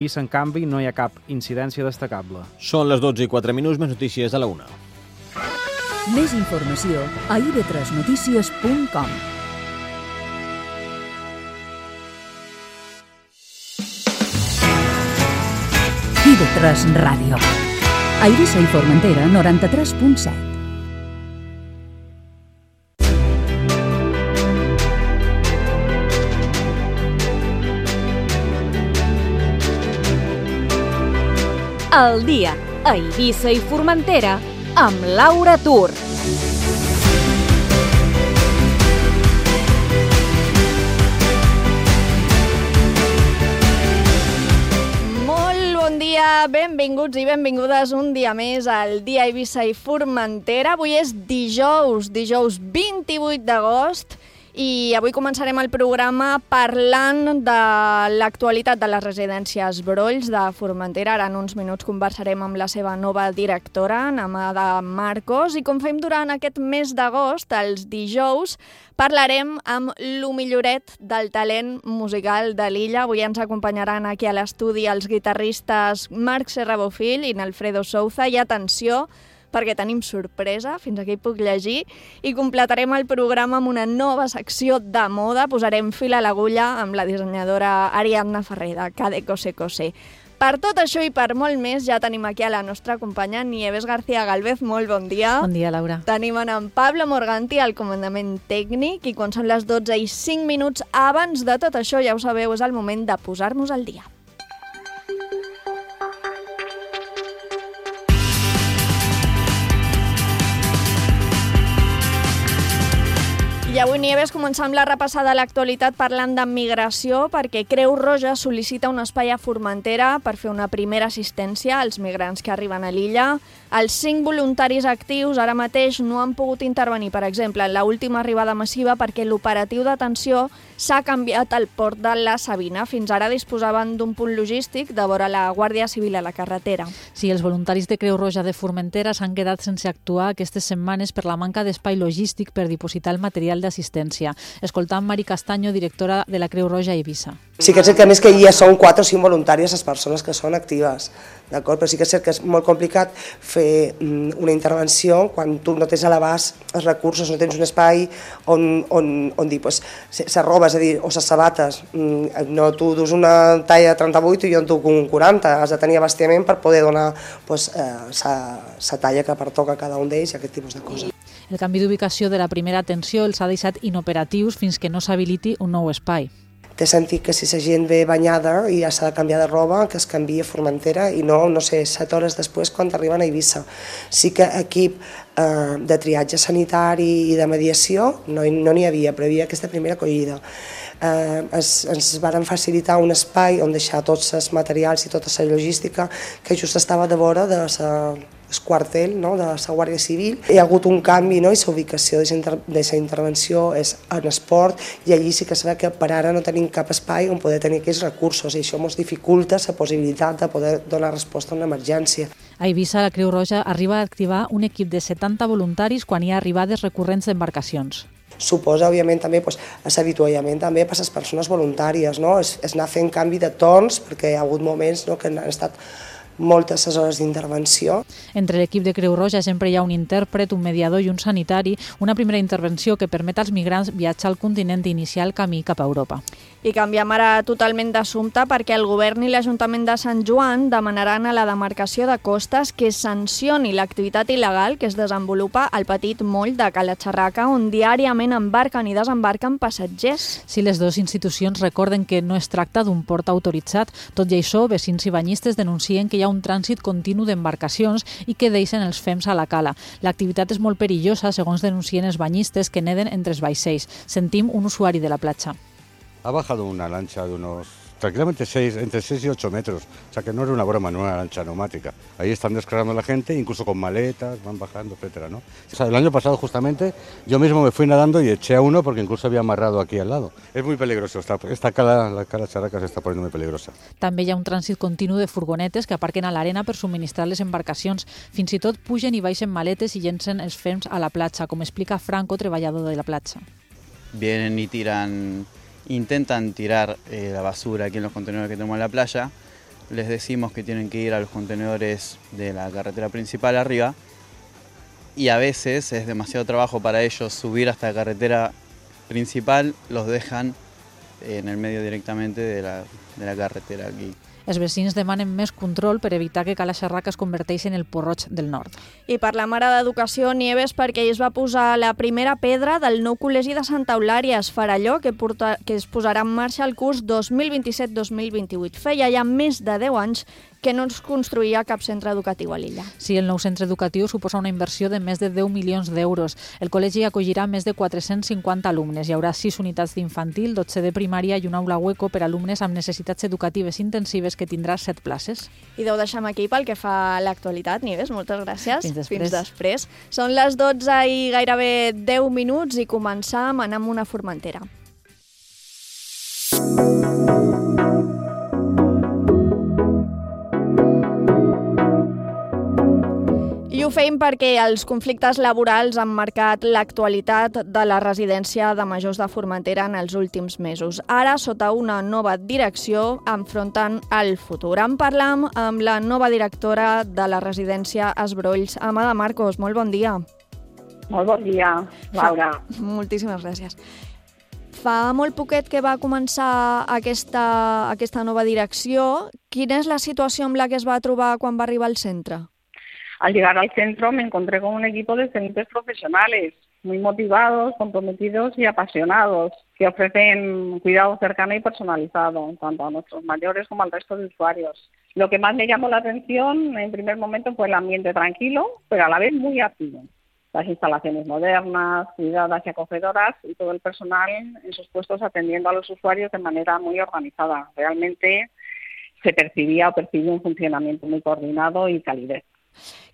En canvi, no hi ha cap incidència destacable. Són les 12:04, més notícies a la 1. Més informació a ib3notícies.com. IB3 Ràdio. A Eivissa i Formentera, 93.7. El dia a Eivissa i Formentera amb Laura Tur. Molt bon dia, benvinguts i benvingudes un dia més al dia a Eivissa i Formentera. Avui és dijous 28 d'agost. I avui començarem el programa parlant de l'actualitat de les residències Brolls de Formentera. Ara en uns minuts conversarem amb la seva nova directora, Namada Marcos, i com fem durant aquest mes d'agost, els dijous, parlarem amb lo milloret del talent musical de l'illa. Avui ens acompanyaran aquí a l'estudi els guitarristes Marc Serrabofill i Alfredo Souza. I atenció, perquè tenim sorpresa, fins aquí puc llegir, i completarem el programa amb una nova secció de moda. Posarem fil a l'agulla amb la dissenyadora Ariadna Ferrer de Cade Cose Cose. Per tot això i per molt més, ja tenim aquí a la nostra companya Nieves García Galvez. Molt bon dia. Bon dia, Laura. Tenim en Pablo Morganti al comandament tècnic i quan són les 12:05 abans de tot això, ja ho sabeu, és el moment de posar-nos al dia. I avui, Nieves, començam la repassada a l'actualitat parlant de migració, perquè Creu Roja sol·licita un espai a Formentera per fer una primera assistència als migrants que arriben a l'illa. Els 5 voluntaris actius ara mateix no han pogut intervenir, per exemple, en l'última arribada massiva perquè l'operatiu d'atenció s'ha canviat al port de la Sabina. Fins ara disposaven d'un punt logístic de vora la Guàrdia Civil a la carretera. Sí, els voluntaris de Creu Roja de Formentera s'han quedat sense actuar aquestes setmanes per la manca d'espai logístic per dipositar el material d'assistència. Escoltant Mari Castaño, directora de la Creu Roja a Eivissa. Sí que és cert que a més que ja són 4 o 5 voluntàries les persones que són actives, d'acord? Però sí que és cert que és molt complicat fer una intervenció quan tu no tens a l'abast els recursos, no tens un espai on dir, pues, se roba, és a dir, o les sabates, no, tu dus una talla 38 i jo en duc un 40, has de tenir abastiment per poder donar la talla que pertoca a cada un d'ells i aquest tipus de coses. El canvi d'ubicació de la primera atenció els ha deixat inoperatius fins que no s'habiliti un nou espai. Té sentit que si la gent ve banyada i ja s'ha de canviar de roba, que es canvia a Formentera i no sé, 7 hores després quan arriben a Eivissa. Sí que equip de triatge sanitari i de mediació no n'hi havia, però hi havia aquesta primera acollida. Ens varen facilitar un espai on deixar tots els materials i tota la logística que just estava de vora de el quartel, no, de la Guàrdia Civil. Hi ha hagut un canvi, no, i la ubicació de la intervenció és en esport i allí sí que es veu que per ara no tenim cap espai on poder tenir aquests recursos i això ens dificulta la possibilitat de poder donar resposta a una emergència. A Eivissa, la Creu Roja arriba a activar un equip de 70 voluntaris quan hi ha arribades recurrents d'embarcacions. Suposa, òbviament, també l'avituallament també per a les persones voluntàries, no? És anar fent canvi de torns perquè hi ha hagut moments que han estat moltes hores d'intervenció. Entre l'equip de Creu Roja sempre hi ha un intèrpret, un mediador i un sanitari, una primera intervenció que permet als migrants viatjar al continent i iniciar el camí cap a Europa. I canviem ara totalment d'assumpte perquè el govern i l'Ajuntament de Sant Joan demanaran a la demarcació de costes que sancioni l'activitat il·legal que es desenvolupa al petit moll de Cala Xarraca, on diàriament embarquen i desembarquen passatgers. Si les dues institucions recorden que no es tracta d'un port autoritzat, tot i això, vecins i banyistes denuncien que hi ha un trànsit continu d'embarcacions i que deixen els fems a la cala. L'activitat és molt perillosa, segons denuncien els banyistes que neden entre els vaixells. Sentim un usuari de la platja. Ha bajado una lancha de unos, tranquilamente entre 6 y 8 metros, o sea que no era una broma, no era una lancha neumática. Ahí están descargando la gente, incluso con maletas, van bajando, etcétera, ¿no? O sea, el año pasado justamente yo mismo me fui nadando y eché a uno porque incluso había amarrado aquí al lado. Es muy peligroso, esta cala, la Cala Xarraca se está poniendo muy peligrosa. També hi ha un trànsit continu de furgonetes que aparquen a l'arena per subministrar les embarcacions. Fins i tot pugen i baixen maletes i llencen els fems a la platja, com explica Franco, treballador de la platja. Vienen y intentan tirar la basura aquí en los contenedores que tenemos en la playa les decimos que tienen que ir a los contenedores de la carretera principal arriba y a veces es demasiado trabajo para ellos subir hasta la carretera principal, los dejan en el medio directamente de la carretera aquí. Els vecins demanen més control per evitar que Cala Xerraca es converteixi en el Port-roig del Nord. I per la mare d'Educació, Nieves, perquè ell es va posar la primera pedra del nou col·legi de Santa Eulària, Esfaralló, que es posarà en marxa el curs 2027-2028. Feia ja més de 10 anys que no es construïa cap centre educatiu a l'illa. Sí, el nou centre educatiu suposa una inversió de més de 10 milions d'euros. El col·legi acollirà més de 450 alumnes. Hi haurà 6 unitats d'infantil, 12 de primària i una aula hueco per a alumnes amb necessitats educatives intensives que tindrà 7 places. I ho deixem aquí pel que fa a l'actualitat, Nieves. Moltes gràcies. Fins després. Són les 12 i gairebé 10 minuts i començam anant amb una formentera. I ho fem perquè els conflictes laborals han marcat l'actualitat de la residència de majors de Formentera en els últims mesos. Ara, sota una nova direcció, enfronten el futur. En parlam amb la nova directora de la residència Esbrolls, Amada Marcos. Molt bon dia. Molt bon dia, Laura. Moltíssimes gràcies. Fa molt poquet que va començar aquesta nova direcció. Quina és la situació amb la que es va trobar quan va arribar al centre? Al llegar al centro me encontré con un equipo de excelentes profesionales, muy motivados, comprometidos y apasionados, que ofrecen cuidado cercano y personalizado, tanto a nuestros mayores como al resto de usuarios. Lo que más me llamó la atención en primer momento fue el ambiente tranquilo, pero a la vez muy activo. Las instalaciones modernas, cuidadas y acogedoras y todo el personal en sus puestos atendiendo a los usuarios de manera muy organizada. Realmente se percibía un funcionamiento muy coordinado y calidez.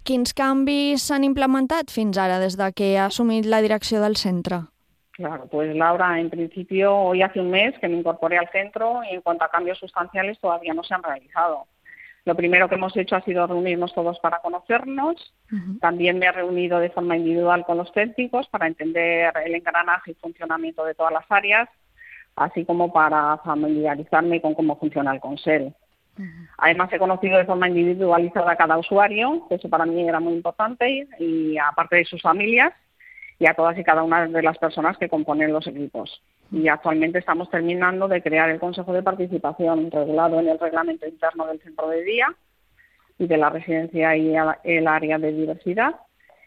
Quins canvis s'han implementat fins ara des de que ha assumit la direcció del centre? Claro, pues Laura, en principio hoy hace un mes que me incorporé al centro y en cuanto a cambios sustanciales todavía no se han realizado. Lo primero que hemos hecho ha sido reunirnos todos para conocernos. También me he reunido de forma individual con los técnicos para entender el engranaje y funcionamiento de todas las áreas, así como para familiarizarme con cómo funciona el Consell. Además, he conocido de forma individualizada a cada usuario, que eso para mí era muy importante, y aparte de sus familias, y a todas y cada una de las personas que componen los equipos. Y actualmente estamos terminando de crear el Consejo de Participación regulado en el reglamento interno del centro de día y de la residencia y el área de diversidad.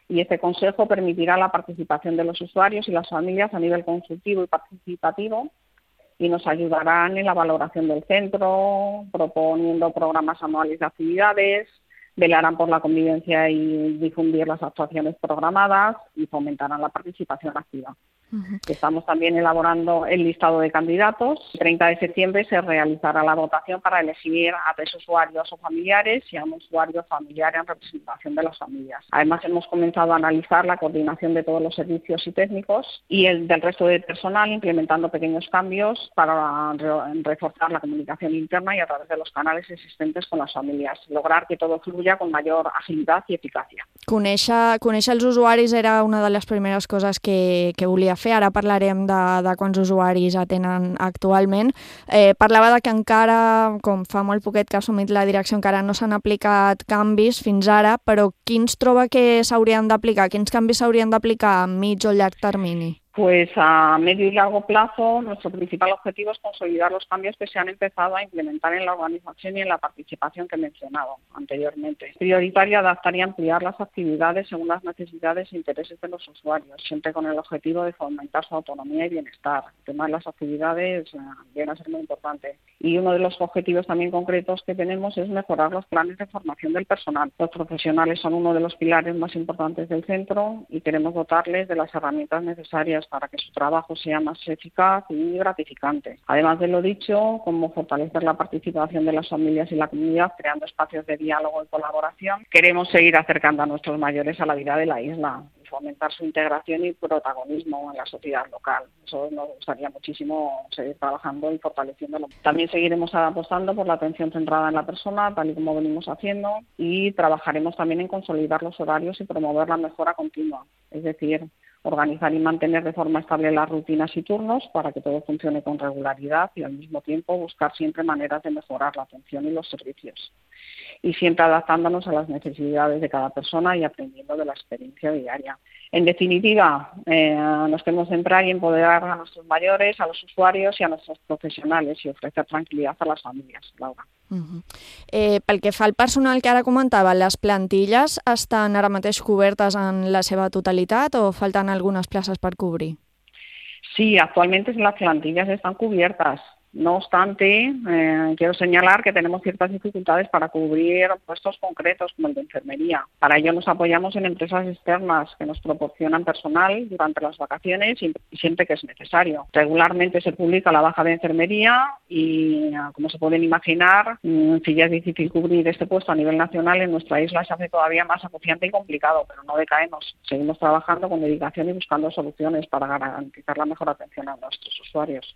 Y este consejo permitirá la participación de los usuarios y las familias a nivel consultivo y participativo, y nos ayudarán en la valoración del centro, proponiendo programas anuales de actividades, velarán por la convivencia y difundir las actuaciones programadas y fomentarán la participación activa. Estamos también elaborando el listado de candidatos. El 30 de septiembre se realizará la votación para elegir a 3 usuarios o familiares y a un usuario familiar en representación de las familias. Además, hemos comenzado a analizar la coordinación de todos los servicios y técnicos y el del resto de personal, implementando pequeños cambios para reforzar la comunicación interna y a través de los canales existentes con las familias, lograr que todo fluya con mayor agilidad y eficacia. Conèixer els usuaris era una de les primeres coses que volia fer. Ara parlarem de quants usuaris atenen actualment. Parlava de que encara, com fa molt poquet que ha assumit la direcció, encara no s'han aplicat canvis fins ara, però quins troba que s'haurien d'aplicar? Quins canvis s'haurien d'aplicar a mig o llarg termini? Pues a medio y largo plazo nuestro principal objetivo es consolidar los cambios que se han empezado a implementar en la organización y en la participación que he mencionado anteriormente. Es prioritario adaptar y ampliar las actividades según las necesidades e intereses de los usuarios, siempre con el objetivo de fomentar su autonomía y bienestar. El tema de las actividades viene a ser muy importante. Y uno de los objetivos también concretos que tenemos es mejorar los planes de formación del personal. Los profesionales son uno de los pilares más importantes del centro y queremos dotarles de las herramientas necesarias para que su trabajo sea más eficaz y gratificante. Además de lo dicho, como fortalecer la participación de las familias y la comunidad, creando espacios de diálogo y colaboración, queremos seguir acercando a nuestros mayores a la vida de la isla y fomentar su integración y protagonismo en la sociedad local. Eso nos gustaría muchísimo seguir trabajando y fortaleciéndolo. También seguiremos apostando por la atención centrada en la persona, tal y como venimos haciendo, y trabajaremos también en consolidar los horarios y promover la mejora continua. Es decir, organizar y mantener de forma estable las rutinas y turnos para que todo funcione con regularidad y al mismo tiempo buscar siempre maneras de mejorar la atención y los servicios. Y siempre adaptándonos a las necesidades de cada persona y aprendiendo de la experiencia diaria. En definitiva, nos queremos centrar y empoderar a nuestros mayores, a los usuarios y a nuestros professionals i ofrecer tranquil·litat a les famílies, Laura. Pel que fa al personal que ara comentava, les plantilles estan ara mateix cobertes en la seva totalitat o falten algunes places per cobrir? Sí, actualmente las plantillas están cubiertas. No obstante, quiero señalar que tenemos ciertas dificultades para cubrir puestos concretos como el de enfermería. Para ello nos apoyamos en empresas externas que nos proporcionan personal durante las vacaciones y siempre que es necesario. Regularmente se publica la baja de enfermería y, como se pueden imaginar, si ya es difícil cubrir este puesto a nivel nacional, en nuestra isla se hace todavía más acuciante y complicado, pero no decaemos. Seguimos trabajando con dedicación y buscando soluciones para garantizar la mejor atención a nuestros usuarios.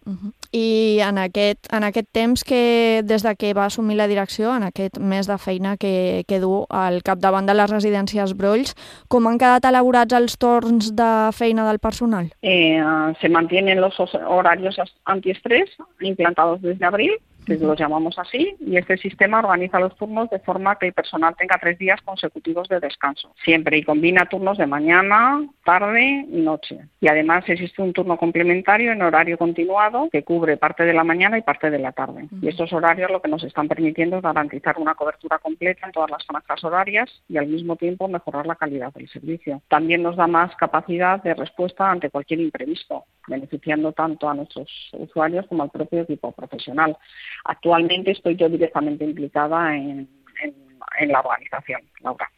I en aquest temps que des de que va assumir la direcció, en aquest mes de feina que du al capdavant de les residències Brolls, com han quedat elaborats els torns de feina del personal? Se mantienen los horarios antiestrés implantados desde abril, que los llamamos así, y este sistema organiza los turnos de forma que el personal tenga 3 días consecutivos de descanso, siempre, y combina turnos de mañana, tarde y noche. Y además existe un turno complementario en horario continuado que cubre parte de la mañana y parte de la tarde. Y estos horarios lo que nos están permitiendo es garantizar una cobertura completa en todas las franjas horarias y al mismo tiempo mejorar la calidad del servicio. También nos da más capacidad de respuesta ante cualquier imprevisto, beneficiando tanto a nuestros usuarios como al propio equipo profesional. Actualmente estoy yo directamente implicada en la organización, Laura.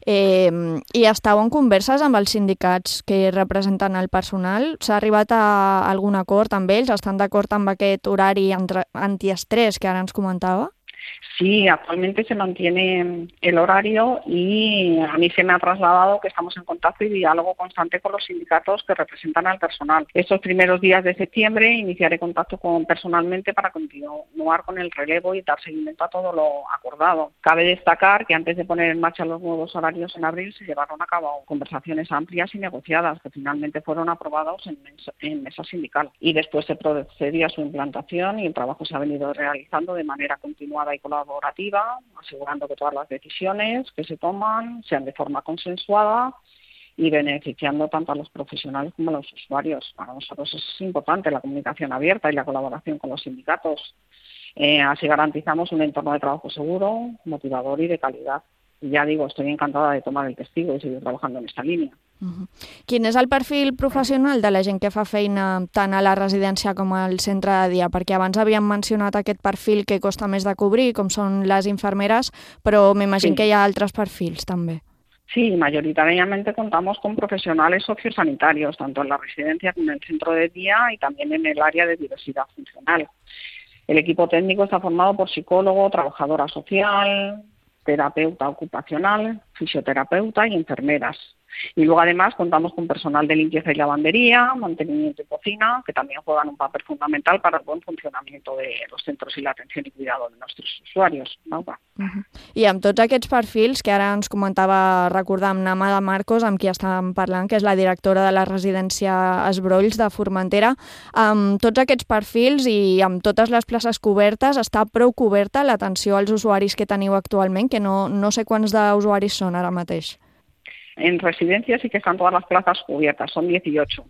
I estàu en converses amb els sindicats que representen el personal? S'ha arribat a algun acord amb ells? Estan d'acord amb aquest horari antiestrès que ara ens comentava? Sí, actualmente se mantiene el horario y a mí se me ha trasladado que estamos en contacto y diálogo constante con los sindicatos que representan al personal. Estos primeros días de septiembre iniciaré contacto personalmente para continuar con el relevo y dar seguimiento a todo lo acordado. Cabe destacar que antes de poner en marcha los nuevos horarios en abril se llevaron a cabo conversaciones amplias y negociadas que finalmente fueron aprobados en mesa sindical y después se procedió a su implantación y el trabajo se ha venido realizando de manera continuada y colaborativa, asegurando que todas las decisiones que se toman sean de forma consensuada y beneficiando tanto a los profesionales como a los usuarios. Para nosotros es importante la comunicación abierta y la colaboración con los sindicatos. Así garantizamos un entorno de trabajo seguro, motivador y de calidad. Y ya digo, estoy encantada de tomar el testigo y seguir trabajando en esta línea. Quin és el perfil professional de la gent que fa feina tant a la residència com al centre de dia? Perquè abans havíem mencionat aquest perfil que costa més de cobrir, com són les infermeres, però m'imagino que hi ha altres perfils també. Sí, mayoritariamente contamos con profesionales sociosanitarios, tanto en la residencia como en el centro de día y también en el área de diversidad funcional. El equipo técnico está formado por psicólogo, trabajadora social, terapeuta ocupacional, fisioterapeuta y enfermeras. Y luego además contamos con personal de limpieza y lavandería, mantenimiento y cocina, que también juegan un papel fundamental para el buen funcionamiento de los centros y la atención y cuidado de nuestros usuarios. I amb tots aquests perfils que ara ens comentava, recordar amb Namada Marcos, amb qui estàvem parlant, que és la directora de la residència Esbrolls de Formentera, amb tots aquests perfils i amb totes les places cobertes, està prou coberta l'atenció als usuaris que teniu actualment, que no sé quants d'usuaris són ara mateix. En residencia sí que están todas las plazas cubiertas, son 18.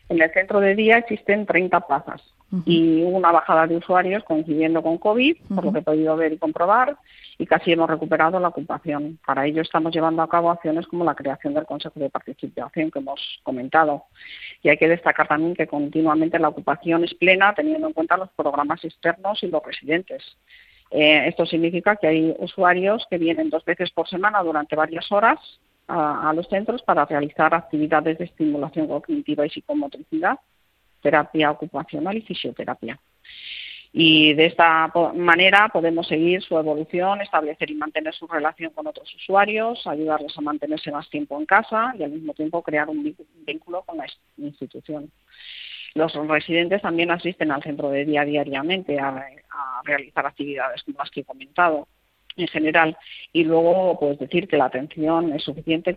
En el centro de día existen 30 plazas y hubo una bajada de usuarios coincidiendo con COVID, por lo que he podido ver y comprobar, y casi hemos recuperado la ocupación. Para ello estamos llevando a cabo acciones como la creación del Consejo de Participación que hemos comentado. Y hay que destacar también que continuamente la ocupación es plena teniendo en cuenta los programas externos y los residentes. Esto significa que hay usuarios que vienen 2 veces por semana durante varias horas a los centros para realizar actividades de estimulación cognitiva y psicomotricidad, terapia ocupacional y fisioterapia. Y de esta manera podemos seguir su evolución, establecer y mantener su relación con otros usuarios, ayudarles a mantenerse más tiempo en casa y al mismo tiempo crear un vínculo con la institución. Los residentes también asisten al centro de día diariamente a realizar actividades como las que he comentado. en general. Y luego, pues decir que la atención es suficientemente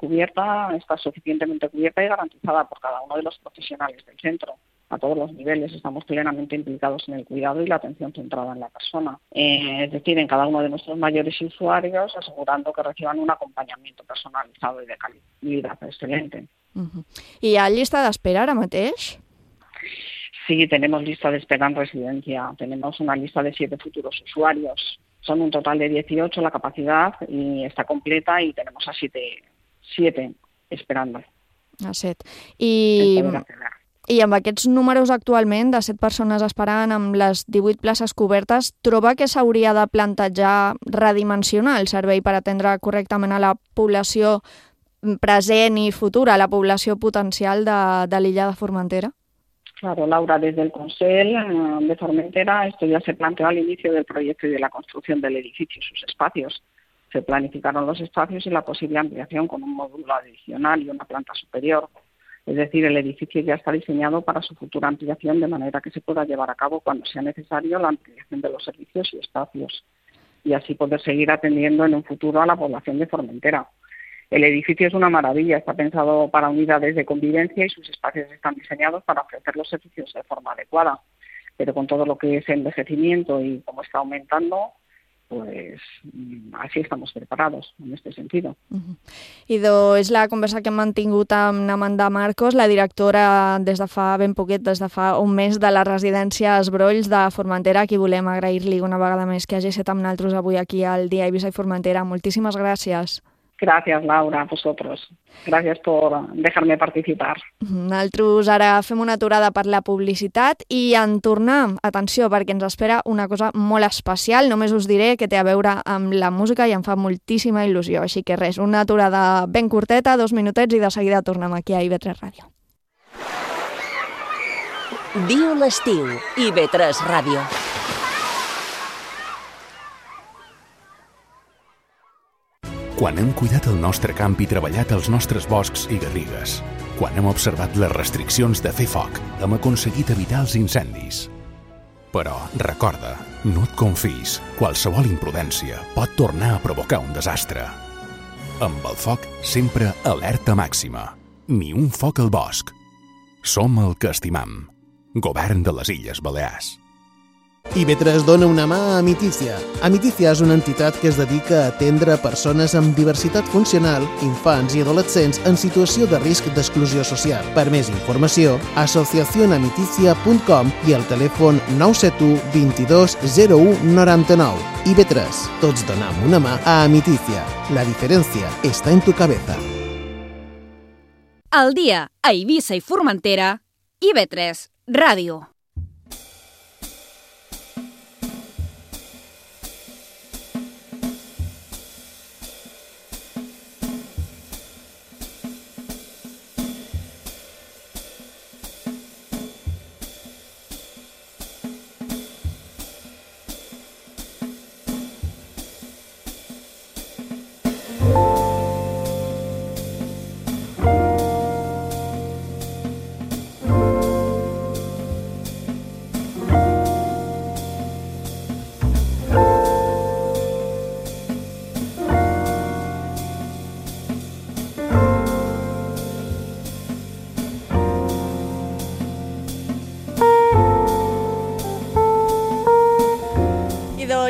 cubierta y garantizada por cada uno de los profesionales del centro. A todos los niveles estamos plenamente implicados en el cuidado y la atención centrada en la persona. Es decir, en cada uno de nuestros mayores usuarios, asegurando que reciban un acompanyament personalitzado i de qualitat excelente. ¿Y hay lista de espera ara mateix? Sí, tenemos lista de espera en residencia. Tenemos una lista de 7 futuros usuarios. Son un total de 18 la capacidad y está completa y tenemos a 7 esperando. A 7. I amb aquests números actualment de 7 persones esperant amb les 18 places cobertes, troba que s'hauria de plantejar redimensionar el servei per atendre correctament a la població present i futura, a la població potencial de l'illa de Formentera? Claro, Laura, desde el Consell de Formentera esto ya se planteó al inicio del proyecto y de la construcción del edificio y sus espacios. Se planificaron los espacios y la posible ampliación con un módulo adicional y una planta superior. Es decir, el edificio ya está diseñado para su futura ampliación de manera que se pueda llevar a cabo cuando sea necesario la ampliación de los servicios y espacios y así poder seguir atendiendo en un futuro a la población de Formentera. El edificio es una maravilla, está pensado para unidades de convivencia y sus espacios están diseñados para ofrecer los servicios de forma adecuada. Pero con todo lo que es envejecimiento y cómo está aumentando, pues así estamos preparados en este sentido. Idò, és la conversa que hem mantingut amb Amanda Marcos, la directora des de fa ben poquet, des de fa un mes, de la residència Esbrolls de Formentera, a qui volem agrair-li una vegada més que hagi estat amb nosaltres avui aquí al Dia Eivissa i Formentera. Moltíssimes gràcies. Gracias, Laura, a vosotros. Gracias por dejarme participar. Nosaltres ara fem una aturada per la publicitat i en tornar, atenció, perquè ens espera una cosa molt especial. Només us diré que té a veure amb la música i em fa moltíssima il·lusió. Així que res, una aturada ben curteta, 2 minutets i de seguida tornem aquí a IB3 Ràdio. Diu l'estiu, IB3 Ràdio. Quan hem cuidat el nostre camp i treballat els nostres boscs i garrigues. Quan hem observat les restriccions de fer foc, hem aconseguit evitar els incendis. Però, recorda, no et confis. Qualsevol imprudència pot tornar a provocar un desastre. Amb el foc, sempre alerta màxima. Ni un foc al bosc. Som el que estimam. Govern de les Illes Balears. IB3 dona una mà a Amiticia. Amiticia és una entitat que es dedica a atendre persones amb diversitat funcional, infants i adolescents en situació de risc d'exclusió social. Per més informació, asociacionamiticia.com i el telèfon 971 22 01 99. IB3. Tots donam una mà a Amiticia. La diferència està en tu cabeza. Al dia a Eivissa i Formentera, IB3 Ràdio.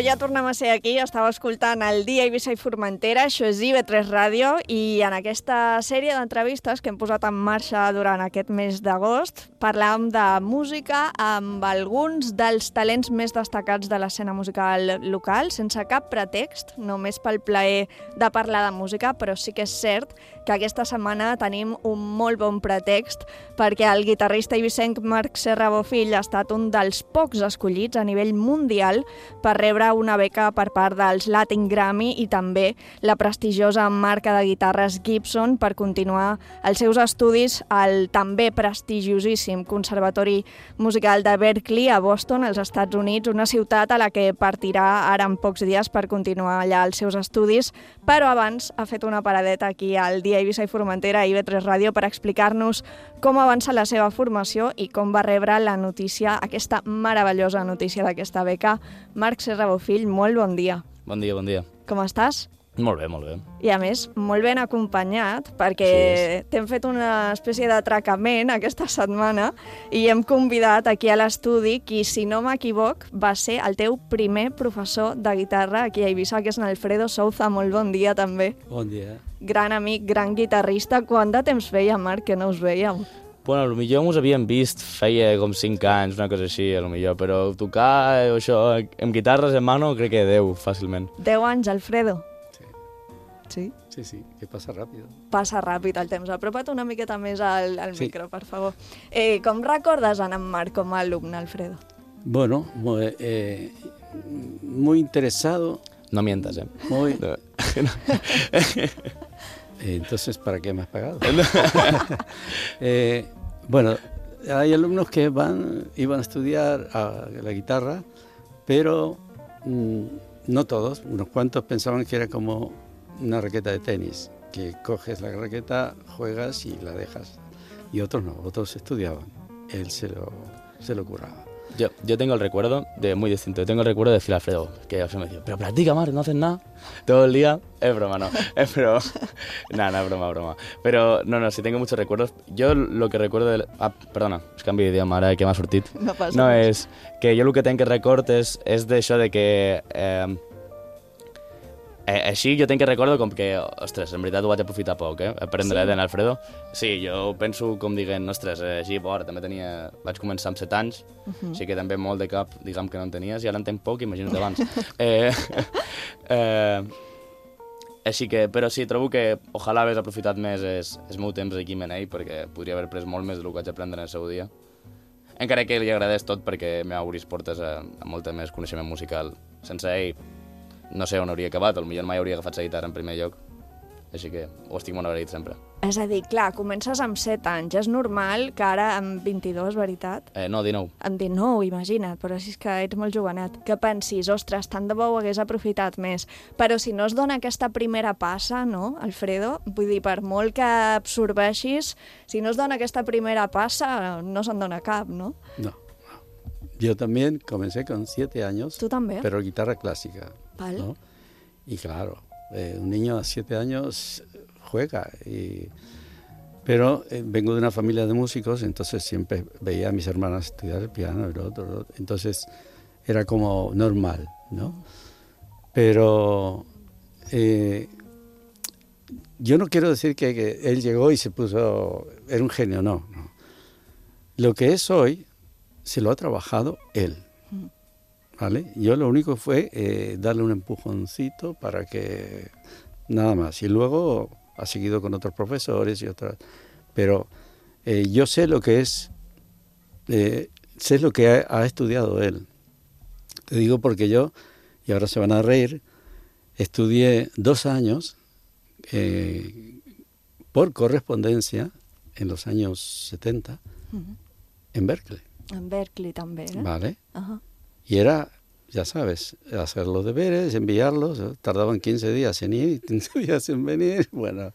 Ja tornem a ser aquí, estava escoltant el Dia Eivissa i Formentera, això és IB3 Ràdio, i en aquesta sèrie d'entrevistes que hem posat en marxa durant aquest mes d'agost parlàvem de música amb alguns dels talents més destacats de l'escena musical local, sense cap pretext, només pel plaer de parlar de música, però sí que és cert que aquesta setmana tenim un molt bon pretext perquè el guitarrista eivissenc Marc Serra Bofill ha estat un dels pocs escollits a nivell mundial per rebre una beca per part dels Latin Grammy i també la prestigiosa marca de guitarres Gibson per continuar els seus estudis al també prestigiosíssim Conservatori Musical de Berkeley a Boston, als Estats Units, una ciutat a la que partirà ara en pocs dies per continuar allà els seus estudis, però abans ha fet una paradeta aquí al Dia Eivissa i Formentera a IB3 Ràdio per explicar-nos com avança la seva formació i com va rebre la notícia, aquesta meravellosa notícia d'aquesta beca. Marc Serra Bofill, molt bon dia. Bon dia, bon dia. com estàs? Molt bé, molt bé. I a més, molt ben acompanyat, perquè t'hem fet una espècie d'atracament aquesta setmana i hem convidat aquí a l'estudi qui, si no m'equivoc, va ser el teu primer professor de guitarra aquí a Eivissa, que és en Alfredo Souza. Molt bon dia, també. Bon dia. Gran amic, gran guitarrista. Quant de temps feia, Marc, que no us vèiem? Bueno, potser ens havíem vist feia com 5 anys, una cosa així, potser, però tocar això amb guitarres en mano crec que 10, fàcilment. 10 anys, Alfredo. Sí? Sí, que passa ràpid. Passa ràpid el temps. Apropa't una miqueta més al micro, per favor. Com recordes en Marc com a alumne, Alfredo? Bueno, muy interesado. No mientas, Muy... Entonces, ¿para qué me has pagado? Bueno, hay alumnos que iban a estudiar la guitarra, pero no todos. Unos cuantos pensaban que era como una raqueta de tenis, que coges la raqueta, juegas y la dejas. Y otros no, otros estudiaban. Él se lo curraba. Yo tengo el recuerdo muy distinto. Yo tengo el recuerdo de decir a Alfredo, que Alfredo me decía, pero practica, Marc, no haces nada todo el día. Es broma, no. Es broma. No, es broma. Pero no, sí tengo muchos recuerdos. Yo lo que recuerdo perdona, es canvi d'idioma, ara que m'ha sortit. No passa No, res. és que jo el que tenc que record és d'això de que... així jo tenc que recordo com que, ostres, en veritat ho vaig aprofitar poc, aprendre d'en Alfredo. Sí, jo penso com diguent, ostres, així, també vaig començar amb 7 anys, així que també molt de cap, diguem que no en tenies, i ara en tenc poc, imagina't abans. Així que, però sí, trobo que ojalà hagués aprofitat més el meu temps aquí amb ell, perquè podria haver pres molt més del que vaig aprendre en el seu dia. Encara que li agradés tot, perquè m'ha obrit portes a molta més coneixement musical. Sense ell, no sé on hauria acabat, potser mai hauria agafat la guitarra en primer lloc, així que ho estic molt agraït sempre. És a dir, clar, comences amb 7 anys, és normal que ara amb 22, veritat? No, 19. Amb 19, imagina't, però si és que ets molt jovenet. Que pensis, ostres, tant de bo ho hagués aprofitat més. Però si no es dona aquesta primera passa, no, Alfredo? Vull dir, per molt que absorbeixis, si no es dona aquesta primera passa, no se'n dona cap, no? No. Yo también comencé con 7 años. ¿Tú también? Pero guitarra clásica. Vale. ¿No? Y claro, un niño a 7 años juega. Pero vengo de una familia de músicos, entonces siempre veía a mis hermanas estudiar el piano, el otro. Entonces era como normal, ¿no? Pero yo no quiero decir que él llegó y se puso... Era un genio, no. Lo que es hoy se lo ha trabajado él, ¿vale? Yo lo único fue darle un empujoncito para que... Nada más. Y luego ha seguido con otros profesores y otras... Pero yo sé lo que es... sé lo que ha estudiado él. Te digo porque yo, y ahora se van a reír, estudié 2 años por correspondencia en los años 70 en Berkeley. En Berkeley també, Vale. Y era, ya sabes, hacer los deberes, enviarlos, tardaban 15 días en ir, 15 días en venir, bueno.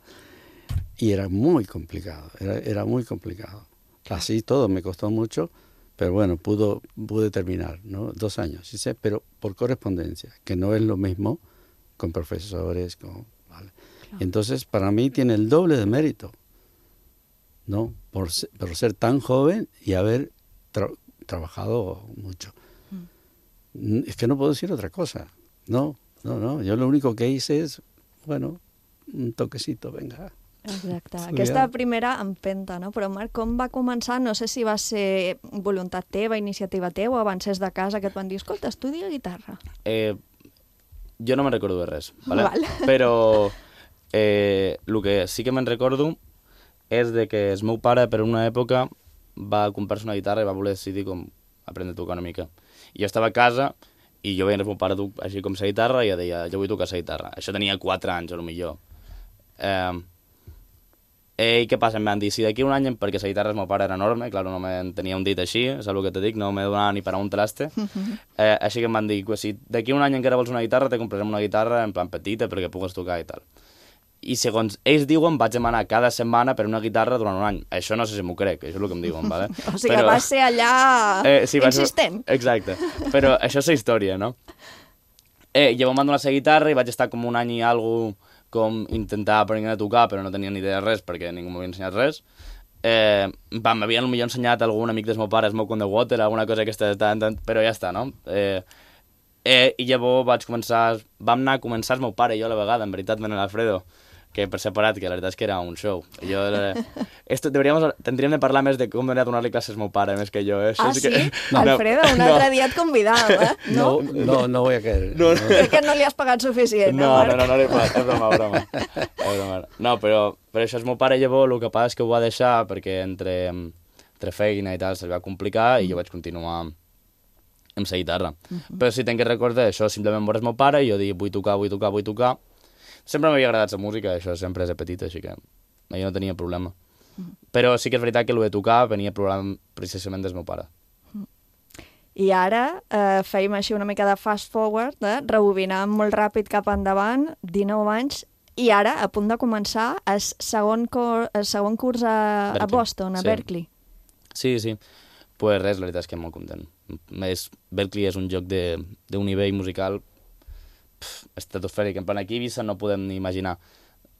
Y era muy complicado, era muy complicado. Así todo me costó mucho, pero bueno, pude terminar, ¿no? 2 años, ¿sí? Pero por correspondencia, que no es lo mismo con profesores, ¿vale? Claro. Entonces, para mí tiene el doble de mérito, ¿no? Por ser tan joven y haber trabajado mucho. Es que no puedo decir otra cosa. No. Yo lo único que hice es, bueno, un toquecito, venga. Exacte. Aquesta primera empenta, no? Però Marc, com va començar? No sé si va ser voluntat teva, iniciativa teva, o avances de casa que et van dir, escolta, estudia guitarra. Jo no me'n recordo de res, ¿vale? Val. Però el que sí que me'n recordo és de que el meu pare, per una època, va comprar-se una guitarra i va voler decidir com aprendre a tocar una mica. I jo estava a casa i jo veia el meu pare així com la guitarra i jo deia, jo vull tocar la guitarra. Això tenia 4 anys, potser. I què passa? Em van dir, si d'aquí un any, perquè la guitarra del meu pare era enorme, clar, no me'n tenia un dit així, és el que te dic, no me donava ni per a un traste, així que em van dir, si d'aquí un any encara vols una guitarra, te comprarem una guitarra en plan petita perquè pugues tocar i tal. I segons ells diuen, vaig demanar cada setmana per una guitarra durant un any. Això no sé si m'ho crec, això és el que em diuen, ¿vale? O sigui, va ser allà insistent. Exacte, però això és la història, no? Llavors m'han donat la guitarra i vaig estar com un any i alguna com intentar aprendre a tocar, però no tenia ni idea de res perquè ningú m'havia ensenyat res. M'havien potser ensenyat algun amic del meu pare, Smoke on the Water, alguna cosa aquesta, però ja està, no? I llavors vam anar a començar el meu pare i jo a la vegada, en veritat, amb l'Alfredo, que per separat, que la veritat és que era un show. Tindríem de parlar més de com anar a donar-li classes al meu pare, més que jo. Sí? Alfredo, un altre dia et convidàvem, No voy a caer. Crec que no li has pagat suficient, no li he pagat, és broma. No, però això és meu pare, llavors el que passa és que ho va deixar perquè entre feina i tal se li va complicar i jo vaig continuar amb la guitarra. Però sí, tenc que recordar això, simplement veure el meu pare i jo dic, vull tocar. Sempre m'havia agradat la música, això sempre és de petit, així que jo no tenia problema. Però sí que és veritat que el de tocar venia precisament del meu pare. I ara fèiem així una mica de fast forward, rebobinant molt ràpid cap endavant, 19 anys, i ara a punt de començar el segon curs a Boston, a Berkeley. Sí. Pues res, la veritat és que molt content. Berkeley és un lloc d'un nivell musical estratosfèric, en plan aquí a Eivissa no podem ni imaginar,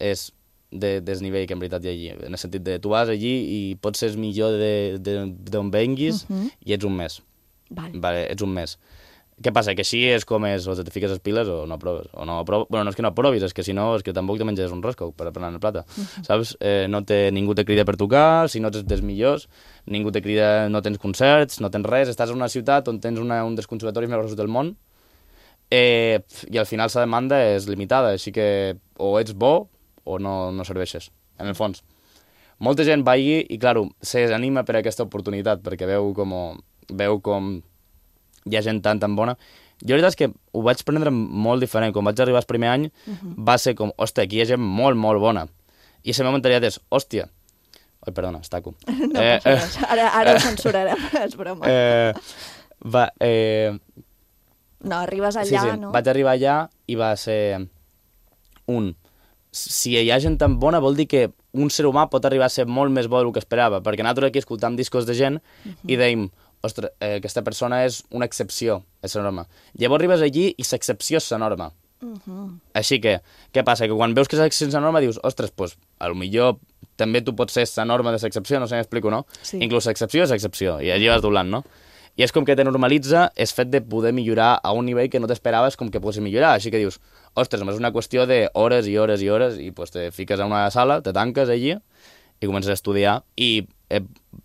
és del nivell que en veritat hi ha allí, en el sentit de tu vas allí i pots ser millor d'on venguis i ets un mes. Vale, ets un mes. Què passa? Que així és com és, o te fiques les piles o no proves. Bueno, no és que no provis, és que si no, és que tampoc te menges un rosco per aprendre el plata. Saps? Ningú te crida per tocar, si no ets dels millors, ningú te crida, no tens concerts, no tens res, estàs en una ciutat on tens un dels conservatoris més grossos del món, i al final la demanda és limitada, així que o ets bo o no serveixes, en el fons. Molta gent va allí i, clar, se desanima per aquesta oportunitat, perquè veu com hi ha gent tan bona. Jo la veritat és que ho vaig prendre molt diferent. Quan vaig arribar el primer any va ser com, hòstia, aquí hi ha gent molt, molt bona. I la meva mentalitat és, hòstia... Ai, perdona, es taco. No passa res, ara ho censurarem, és broma. No, arribes allà, sí. no? Vaig arribar allà i va ser si hi ha gent tan bona vol dir que un ser humà pot arribar a ser molt més bo del que esperava, perquè nosaltres aquí escoltam discos de gent i dèiem, ostres, aquesta persona és una excepció, és la norma. Llavors arribes allí i l'excepció és la norma. Així que, què passa? Que quan veus que l'excepció és la norma dius, ostres, doncs, potser també tu pots ser la norma de l'excepció, no sé si m'explico, no? Sí. Inclús l'excepció és excepció, i allí vas doblant, no? I és com que te normalitza el fet de poder millorar a un nivell que no t'esperaves com que pots millorar. Així que dius, ostres, és una qüestió d'hores i hores i hores i pues, te fiques a una sala, te tanques allí i comences a estudiar. I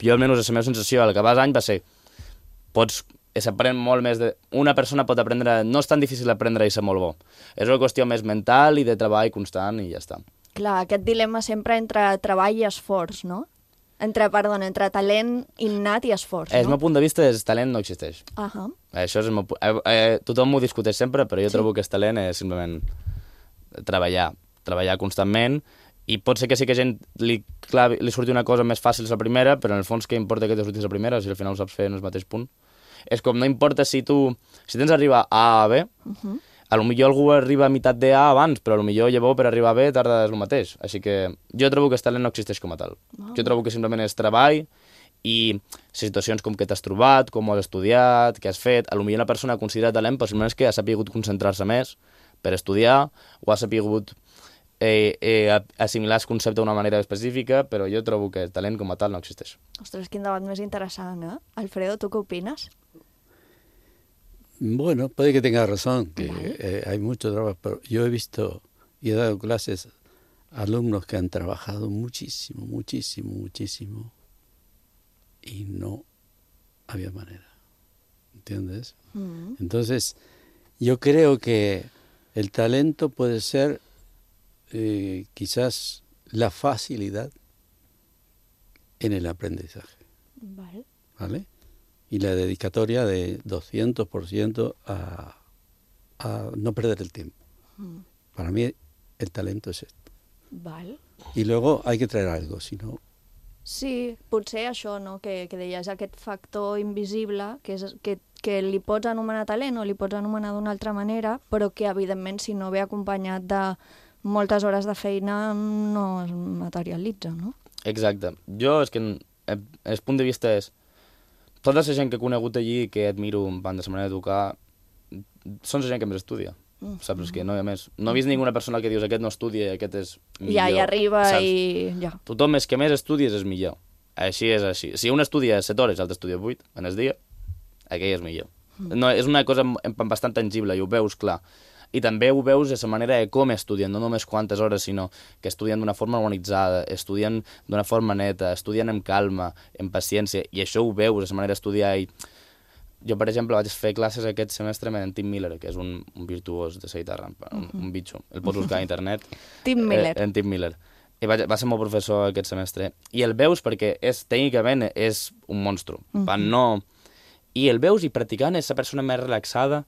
jo almenys la meva sensació al acabar l'any va ser s'aprèn molt més de... Una persona pot aprendre... No és tan difícil aprendre i ser molt bo. És una qüestió més mental i de treball constant i ja està. Clar, aquest dilema sempre entre treball i esforç, no? Entre talent innat i esforç, El meu punt de vista és talent no existeix. Això és el meu... tothom m'ho discuteix sempre, però jo trobo que el talent és simplement treballar constantment, i pot ser que sí que a gent li surti una cosa més fàcil la primera, però en el fons què importa que te surti la primera si al final ho saps fer en el mateix punt? És com, no importa si tens d'arribar a A a B, potser algú arriba a meitat de A abans, però potser llavors per arribar a B tarda el mateix. Així que jo trobo que el talent no existeix com a tal. Jo trobo que simplement és treball i situacions com que t'has trobat, com ho has estudiat, què has fet. Potser una persona considera talent, però simplement és que ha sapigut concentrar-se més per estudiar o ha sapigut assimilar el concepte d'una manera específica, però jo trobo que el talent com a tal no existeix. Ostres, quin debat més interessant, eh? Alfredo, ¿tú qué opinas? Bueno, puede que tenga razón, que hay mucho trabajo, pero yo he visto y he dado clases a alumnos que han trabajado muchísimo y no había manera, ¿entiendes? Entonces, yo creo que el talento puede ser quizás la facilidad en el aprendizaje, ¿vale? Y la dedicatoria de 200% a no perder el tiempo. Para mí el talento es esto. Y luego hay que traer algo, si no... Sí, potser això, no? Que deies, aquest factor invisible, que li pots anomenar talent o li pots anomenar d'una altra manera, però que, evidentment, si no ve acompanyat de moltes hores de feina, no es materialitza, no? Exacte. Jo, és que el punt de vista és... Tota la gent que he conegut allí, que admiro en la manera de tocar, són la gent que més estudia. saps? Que no hi ha més. No he vist ninguna persona que dius aquest no estudia i aquest és millor. Ja hi arriba saps? i ja. Tothom és que més estudies és millor. Així és així. Si un estudia 7 hores i l'altre estudia 8 en el dia, aquell és millor. No, és una cosa bastant tangible i ho veus clar. I també ho veus de la manera de com estudien, no només quantes hores, sinó que estudien d'una forma organitzada, estudien d'una forma neta, estudien amb calma, amb paciència, i això ho veus, de la manera d'estudiar. I jo, per exemple, vaig fer classes aquest semestre amb en Tim Miller, que és un virtuós de la guitarra, un bitxo. El pots buscar a internet. Tim Miller. En Tim Miller. I va ser meu professor aquest semestre. I el veus perquè tècnicament és un monstru. I el veus i practicant és la persona més relaxada,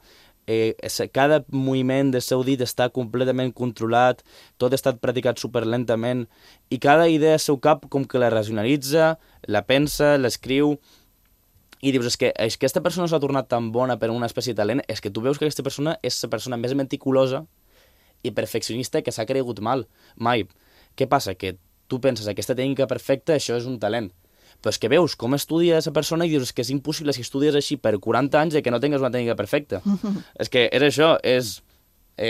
cada moviment del seu dit està completament controlat, tot està practicat superlentament, i cada idea del seu cap com que la racionalitza, la pensa, l'escriu, i dius, és que aquesta persona s'ha tornat tan bona per una espècie de talent, és que tu veus que aquesta persona és la persona més meticulosa i perfeccionista que s'ha cregut mai. Què passa? Que tu penses, aquesta tècnica perfecta, això és un talent. Però és que veus com estudia aquesta persona i dius que és impossible si estudies així per 40 anys que no tingues una tècnica perfecta. És que és això,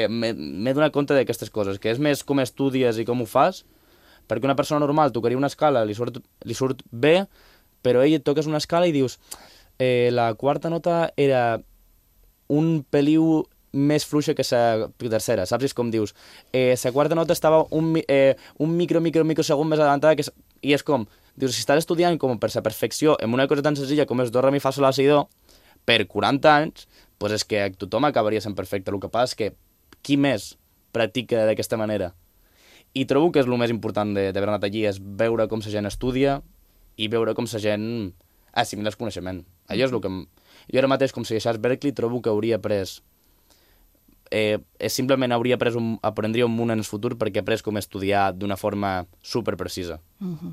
m'he donat compte d'aquestes coses, que és més com estudies i com ho fas, perquè una persona normal tocaria una escala, li surt bé, però ell et toques una escala i dius la quarta nota era un peliu més fluixa que la tercera, saps? És com dius, la quarta nota estava un microsegon més adelantada, i és com, dius, si estàs estudiant com per la perfecció en una cosa tan senzilla com és do, re, mi, fa, sol, la, si, do, per 40 anys, doncs és que tothom acabaria sent perfecte. El que passa és que qui més practica d'aquesta manera? I trobo que és el més important d'haver anat allí, és veure com la gent estudia i veure com la gent assimila el coneixement. Allò és el que... Jo ara mateix, com si deixés Berkeley, trobo que hauria après... simplement aprendria un munt en el futur perquè he après com estudiar d'una forma superprecisa.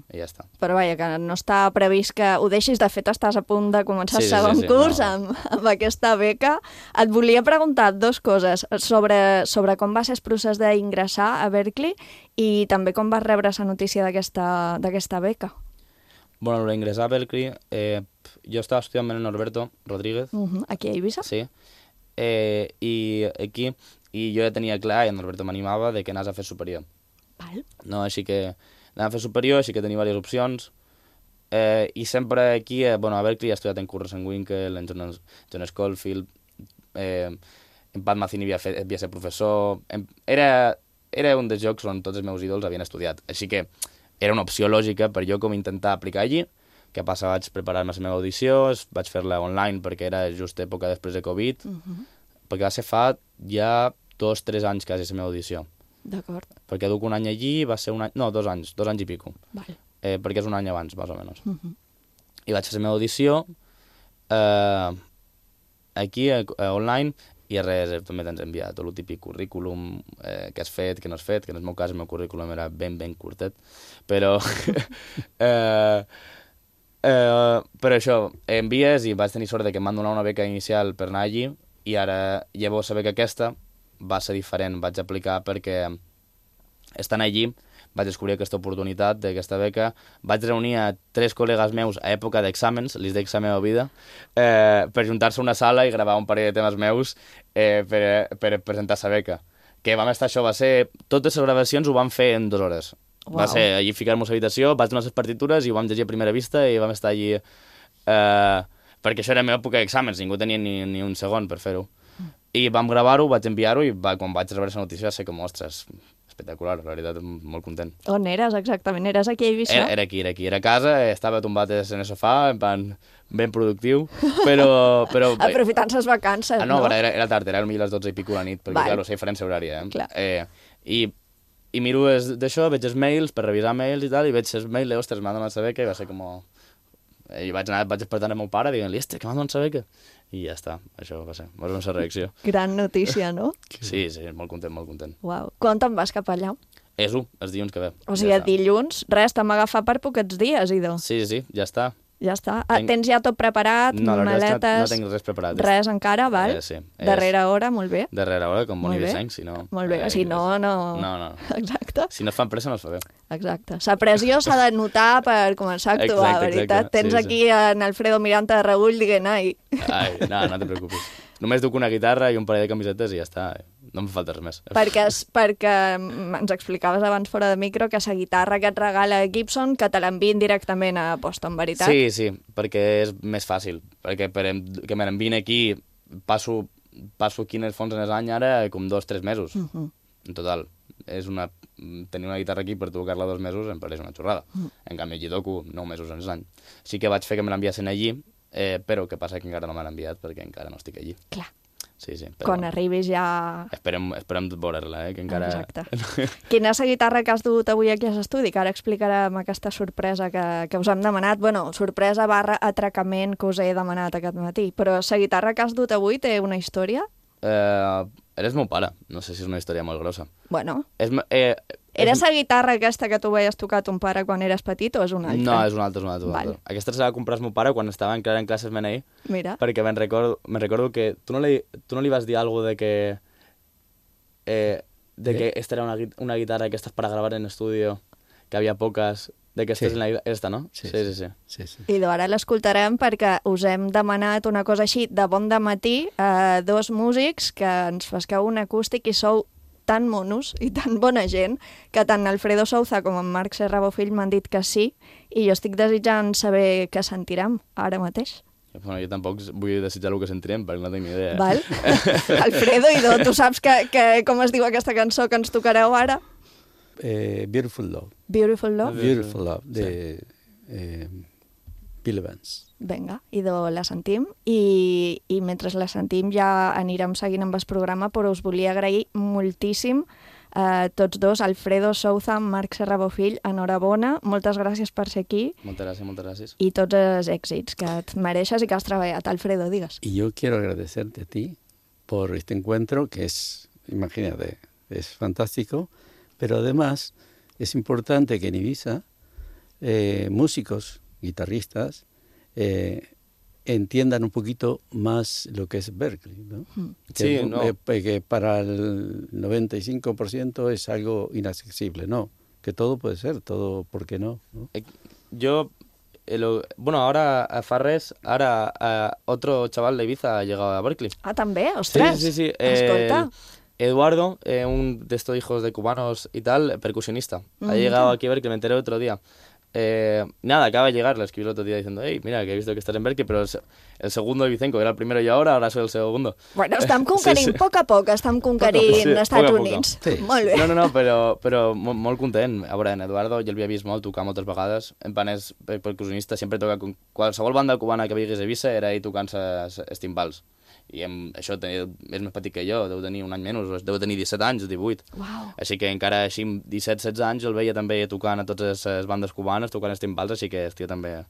I ja està. Però vaja, que no està previst que ho deixis. De fet, estàs a punt de començar el segon curs amb aquesta beca. Et volia preguntar 2 coses sobre com va ser el procés d'ingressar a Berkeley i també com vas rebre la notícia d'aquesta beca. Bueno, l'ingressar a Berkeley, jo estava estudiant amb en Norberto Rodríguez. Aquí a Eivissa? Sí. I aquí, i jo ja tenia clar, i en Norberto m'animava, de que anàs a fer superior. Val. No, així que anava a fer superior, així que tenia diverses opcions, i sempre aquí, a Berkeley he estudiat en Kurt Rosenwinkel, en John Schofield, en Pat Metheny havia ser professor, era un dels llocs on tots els meus ídols havien estudiat, així que era una opció lògica per jo com intentar aplicar allí. Què passa? Vaig preparar-me la meva audició, vaig fer-la online perquè era just època després de Covid, perquè va ser fa ja 2-3 anys quasi la meva audició. D'acord. Perquè duc un any allí, va ser un any... No, 2 anys i pico. Vale. Perquè és un any abans, més o menys. I vaig fer la meva audició aquí, online, i res, també t'has enviat tot el típic currículum, que has fet, que no has fet, que en el meu cas el meu currículum era ben curtet, però... però això, envies i vaig tenir sort que em van donar una beca inicial per anar allí i ara llavors la beca aquesta va ser diferent, vaig aplicar perquè estant allí vaig descobrir aquesta oportunitat d'aquesta beca, vaig reunir a 3 col·legues meus a època d'exàmens, les d'ex a meva vida, per juntar-se a una sala i gravar un parell de temes meus per presentar la beca. Que vam estar, això va ser... Totes les gravacions ho vam fer en 2 hores. Wow. Va ser allí ficar-nos a l'habitació, vaig donar les partitures i ho vam llegir a primera vista i vam estar allí... perquè això era la meva època d'exàmens, ningú tenia ni un segon per fer-ho. I vam gravar-ho, vaig enviar-ho i quan vaig rebre la notícia va ser com, ostres, espectacular, la veritat, molt content. On eres exactament? Eres aquí a Eivissa? Era aquí, era a casa, estava tombat en el sofà, en plan, ben productiu, però... Aprofitant les vacances, no? Era tard, era potser les 12 i pico la nit, perquè, clar, la diferència horària, Clar. I miro d'això, veig els mails, per revisar mails i tal, i veig els mails, ostres, m'han donat la beca, i va ser com... I vaig despertant el meu pare dient-li, que m'han donat la beca. I ja està, això va ser la reacció. Gran notícia, no? Sí, molt content, molt content. Uau. Quan te'n vas cap allà? És els dilluns que ve. O sigui, dilluns, res, t'hem agafat per poquets dies, Ido. Sí, ja està. Ja està. Tens ja tot preparat, maletes... No tinc res preparat. Res encara, val? Sí. Darrera hora, molt bé. Darrera hora, com Boni Vicenç, si no... Molt bé, si no... No. Exacte. Si no es fan pressa, no es fa bé. Exacte. La pressió s'ha de notar per començar a actuar, veritat. Tens aquí en Alfredo Miranda de reull dient, ai... No te preocupis. Només duc una guitarra i un parell de camisetes i ja està. no em falta res més. Perquè ens explicaves abans fora de micro que la guitarra que et regala Gibson que te l'envien directament a Boston, veritat? Sí, perquè és més fàcil, perquè que me l'envien aquí passo aquí en el fons en els anys ara com 2-3 mesos, en total. Tenir una guitarra aquí per tocar-la 2 mesos em pareix una xorrada. En canvi, allí toco 9 mesos en l'any. Sí que vaig fer que me l'enviassin allí, però què passa que encara no me l'han enviat perquè encara no estic allí. Clar. Sí, però... Quan arribis ja... Esperem veure-la, que encara... Exacte. Quina és la guitarra que has dut avui aquí a l'estudi? Que ara explicarem aquesta sorpresa que us hem demanat. Bueno, sorpresa / atracament que us he demanat aquest matí. Però la guitarra que has dut avui té una història? Eres meu pare. No sé si és una història molt grossa. Bueno... Era la guitarra aquesta que tu veies tocar ton pare quan eres petit o és una altra? No, és una altra. Vale. Aquesta se la va comprar el meu pare quan estava encara en classes MNI. Mira. Perquè me'n recordo que tu no li vas dir alguna de que esta era una guitarra que estas para gravar en estudio, que havia poques, de que esta és esta, no? Sí. I ara l'escoltarem perquè us hem demanat una cosa així de bon dematí a 2 músics que ens fasqueu un acústic i sou tan monos i tan bona gent que tant Alfredo Souza com en Marc Serrabo Fill m'han dit que sí i jo estic desitjant saber què sentirem ara mateix. Bueno, jo tampoc vull desitjar el que sentirem perquè no tinc ni idea. Val. Alfredo, tu saps com es diu aquesta cançó que ens tocareu ara? Beautiful Love. Beautiful Love? Beautiful Love, de Bill Evans. Vinga, la sentim i mentre la sentim ja anirem seguint amb el programa, però us volia agrair moltíssim a tots dos, Alfredo Souza, Marc Serrabo Fill, enhorabona, moltes gràcies per ser aquí. Moltes gràcies. I tots els èxits que et mereixes i que has treballat. Alfredo, digues. Y yo quiero agradecerte a ti por este encuentro que es, imagínate, es fantástico, pero además es importante que en Ibiza músicos, guitarristas, entiendan un poquito más lo que es Berklee, ¿no? Que para el 95% es algo inaccesible, ¿no? Que todo puede ser, todo, ¿por qué no? Yo, ahora fa res, otro chaval de Ibiza ha llegado a Berklee. Ah, ¿también? ¡Ostras! Sí. Escolta. Eduardo, un de estos hijos de cubanos y tal, percusionista. Ha llegado aquí a Berklee, me enteré otro día. Acaba de llegar, le escribí el otro día diciendo mira, que he visto que estás en Berklee, pero el segundo de Vicenco era el primero y ahora soy el segundo. Bueno, estem conquerint, a poc estem conquerint Estats Units. Sí. Molt bé. No, però molt content. A veure, en Eduardo jo l'havia vist molt tocar moltes vegades. En plan, és percussionista, sempre toca con qualsevol banda cubana que vingués a Ibiza era ell tocant els timbals. I això és més petit que jo, deu tenir un any menys, deu tenir 17 anys, 18. Wow. Així que encara així, 17-16 anys, el veia també tocant a totes les bandes cubanes, tocant els timbals, així que el tio també...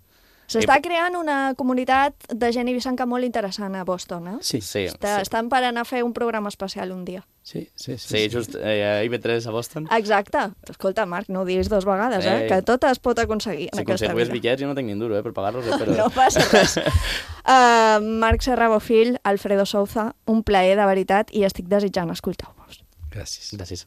S'està creant una comunitat de gent ibicenca molt interessant a Boston, eh? Sí. Estan per anar a fer un programa especial un dia. Sí, just a IB3 a Boston. Exacte. Escolta, Marc, no ho diguis 2 vegades, que tot es pot aconseguir en aquesta vida. Si aconseguís bitllets, jo no tinc ni un duro, per pagar-los, però... No passa res. Marc Serrabo Fill, Alfredo Souza, un plaer de veritat i estic desitjant escoltar-vos. Gràcies.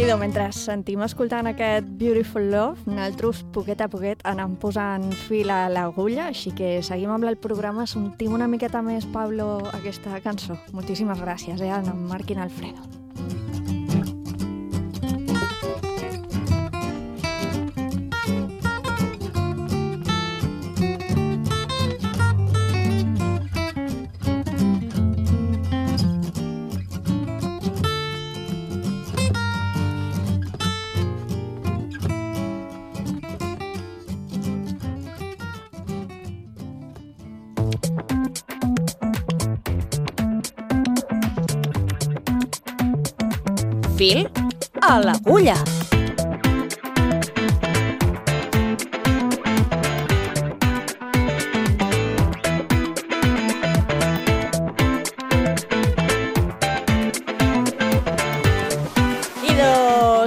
Idò, mentre sentim escoltant aquest Beautiful Love, nosaltres poquet a poquet anem posant fil a l'agulla, així que seguim amb el programa, sentim una miqueta més, Pablo, aquesta cançó. Moltíssimes gràcies, en Marc i en Alfredo. Fil a l'agulla.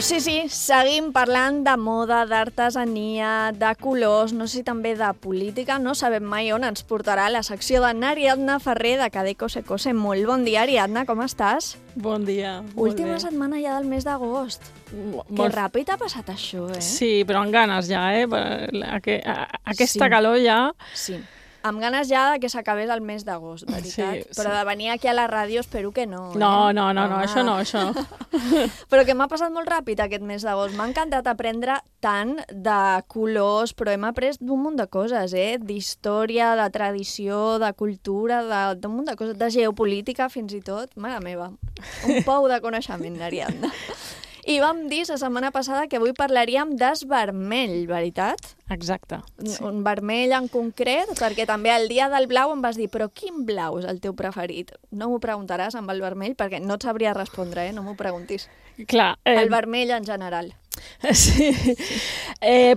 Sí, seguim parlant de moda, d'artesania, de colors, no sé si també de política, no sabem mai on ens portarà la secció d'Ariadna Ferrer de Cadeco Secose. Molt bon dia, Ariadna, com estàs? Bon dia. Última setmana ja del mes d'agost. Que ràpid ha passat això, eh? Sí, però amb ganes ja, Aquesta calor ja... Sí. Amb ganes ja que s'acabés el mes d'agost, veritat. Sí. Però de venir aquí a la ràdio espero que no. No, això no. Però que m'ha passat molt ràpid aquest mes d'agost. M'ha encantat aprendre tant de colors, però hem après d'un munt de coses, d'història, de tradició, de cultura, d'un munt de coses, de geopolítica fins i tot. Mare meva, un pou de coneixement, Ariadna. I vam dir la setmana passada que avui parlaríem d'esvermell, veritat? Exacte. Sí. Un vermell en concret, perquè també el dia del blau em vas dir però quin blau és el teu preferit? No m'ho preguntaràs amb el vermell, perquè no et sabria respondre, no m'ho preguntis. Clar. El vermell en general. Sí.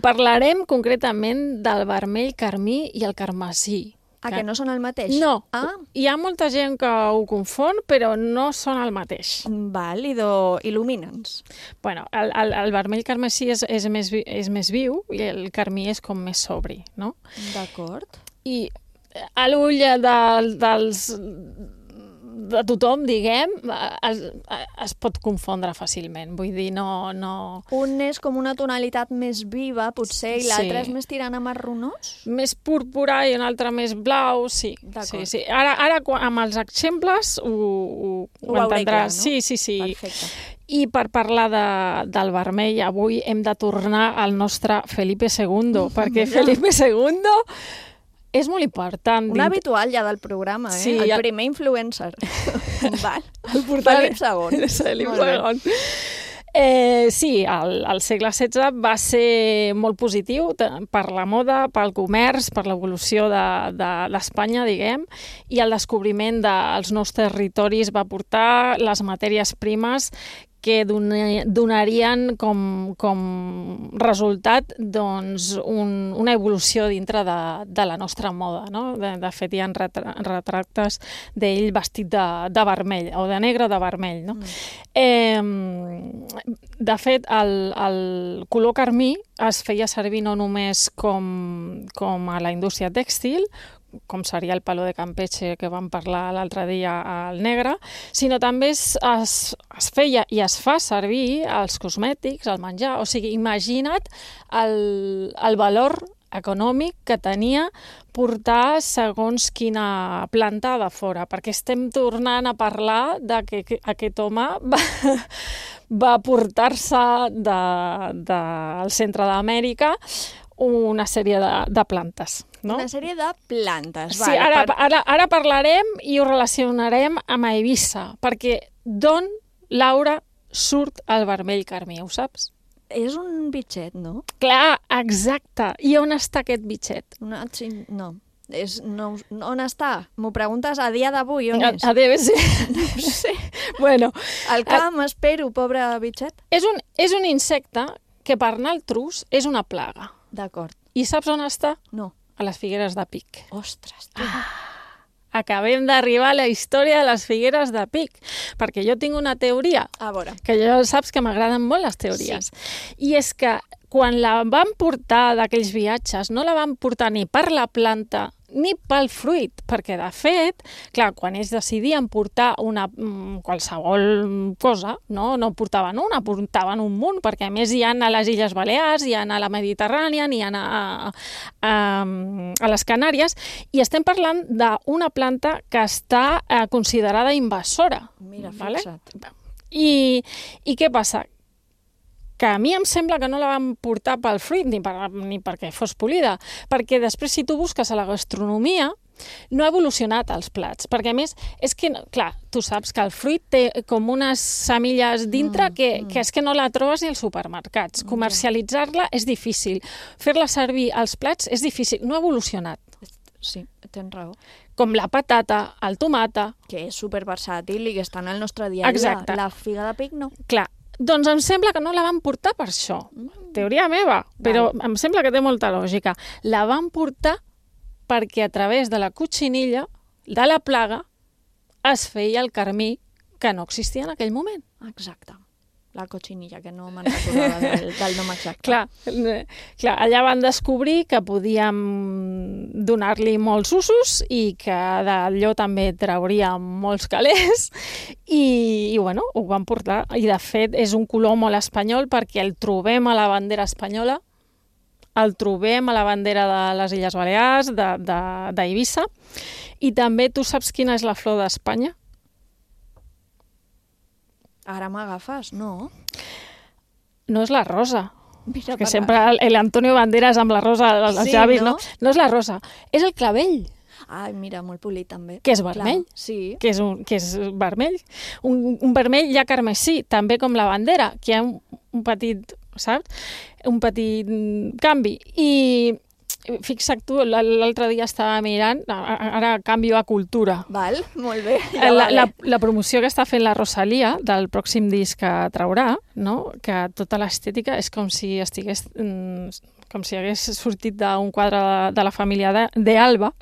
Parlarem concretament del vermell carmí i el carmesí. Que no són el mateix? No. Hi ha molta gent que ho confon, però no són el mateix. Val, il·lumina'ns. Bueno, el vermell carmesí és més viu i el carmí és com més sobri, no? D'acord. I a l'ull de tothom, diguem, es pot confondre fàcilment. Vull dir, no... Un és com una tonalitat més viva, potser, i l'altre és més tirant a marronós? Més púrpura i un altre més blau, sí. Sí. Ara amb els exemples ho entendràs. Clar, no? Sí. Perfecte. I per parlar del vermell, avui hem de tornar al nostre Felipe II, perquè Felipe II... és molt important. Un habitual ja del programa, Sí, el primer influencer. Val. Felip II. Sí, el segle XVI va ser molt positiu per la moda, pel comerç, per l'evolució d'Espanya, diguem, i el descobriment dels nous territoris va portar les matèries primes que donarien com resultat una evolució dintre de la nostra moda. No? De fet, hi ha retractes d'ell vestit de vermell, o de negre o de vermell. No? De fet, el color carmí es feia servir no només com a la indústria tèxtil, com seria el palo de Campeche que vam parlar l'altre dia al negre, sinó també es feia i es fa servir als cosmètics, al menjar. O sigui, imagina't el valor econòmic que tenia portar segons quina planta de fora, perquè estem tornant a parlar de que aquest home va portar-se del centre d'Amèrica una sèrie de plantes. No? Una sèrie de plantes. Sí, ara parlarem i ho relacionarem amb Eivissa, perquè d'on, Laura, surt el vermell carmí, ho saps? És un bitxet, no? Clar, exacte. I on està aquest bitxet? No. On està? M'ho preguntes a dia d'avui, on és? A DBC. No sé. Bueno, al camp, espero, pobre bitxet. És un insecte que per naltros és una plaga. D'acord. I saps on està? No. A les Figueres de Pic. Ostres, tu. Acabem d'arribar a la història de les Figueres de Pic, perquè jo tinc una teoria, a veure, que ja saps que m'agraden molt les teories, i és que quan la van portar d'aquells viatges, no la van portar ni per la planta ni pel fruit, perquè de fet, clar, quan ells decidien portar qualsevol cosa, no portaven una, portaven un munt, perquè a més hi ha a les Illes Balears, hi ha a la Mediterrània, hi ha a les Canàries, i estem parlant d'una planta que està considerada invasora. Mira, vale? fixa't. I què passa? Que a mi em sembla que no la van portar pel fruit ni perquè fos polida, perquè després si tu busques a la gastronomia no ha evolucionat els plats, perquè a més és que, clar, tu saps que el fruit té com unes semilles dintre que és que no la trobes ni als supermercats. Comercialitzar-la és difícil, fer-la servir als plats és difícil, no ha evolucionat. Sí, tens raó. Com la patata, el tomata... Que és superversàtil i que està en el nostre dia a dia. Exacte. La figa de pic no. Clar, doncs em sembla que no la van portar per això. Teoria meva, però em sembla que té molta lògica. La van portar perquè a través de la cotxinilla, de la plaga, es feia el carmí que no existia en aquell moment. Exacte. La cotxinilla, que no me'n recordava del nom exacte. Clar, allà van descobrir que podíem donar-li molts usos i que d'allò també trauríem molts calés i bueno, ho van portar. I de fet és un color molt espanyol perquè el trobem a la bandera espanyola, el trobem a la bandera de les Illes Balears, d'Eivissa, i també tu saps quina és la flor d'Espanya? Ara m'agafes, no? No és la rosa. Mira, que sempre l'Antonio Banderas amb la rosa als llavis, no? No és la rosa, és el clavell. Ai, mira, molt polit també. Que és vermell. Clar, sí. Que és vermell. Un vermell ja carmesí, també com la bandera, que hi ha un petit, saps? Un petit canvi. I fixa't tu, l'altre dia estava mirant, ara canvio a cultura. Val, molt bé. La promoció que està fent la Rosalía del pròxim disc que traurà, no? Que tota l'estètica és com si estigués... com si hagués sortit d'un quadre de la família d'Alba,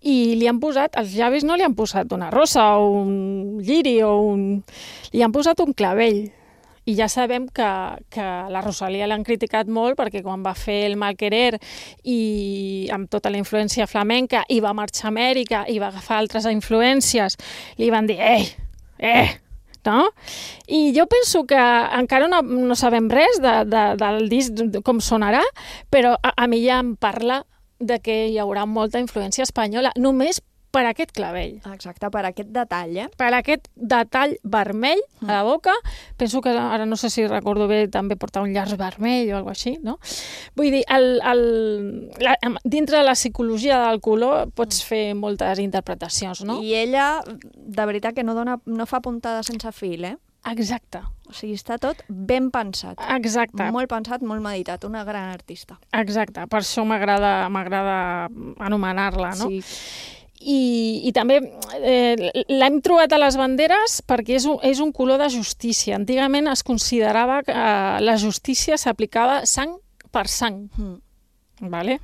i li han posat, als llavis no li han posat una rosa o un lliri li han posat un clavell. I ja sabem que la Rosalía l'han criticat molt perquè quan va fer el Malquerer i amb tota la influència flamenca i va marxar a Amèrica i va agafar altres influències, li van dir, no? I jo penso que encara no sabem res del disc, com sonarà, però a mi ja em parla de que hi haurà molta influència espanyola, només per aquest clavell. Exacte, per aquest detall, Per aquest detall vermell a la boca. Penso que, ara no sé si recordo bé, també portar un llaç vermell o alguna cosa així, no? Vull dir, dintre de la psicologia del color pots fer moltes interpretacions, no? I ella, de veritat, que no fa puntada sense fil, Exacte. O sigui, està tot ben pensat. Exacte. Molt pensat, molt meditat. Una gran artista. Exacte. Per això m'agrada anomenar-la, no? Sí. I també l'hem trobat a les banderes perquè és un color de justícia. Antigament es considerava que la justícia s'aplicava sang per sang. Vale?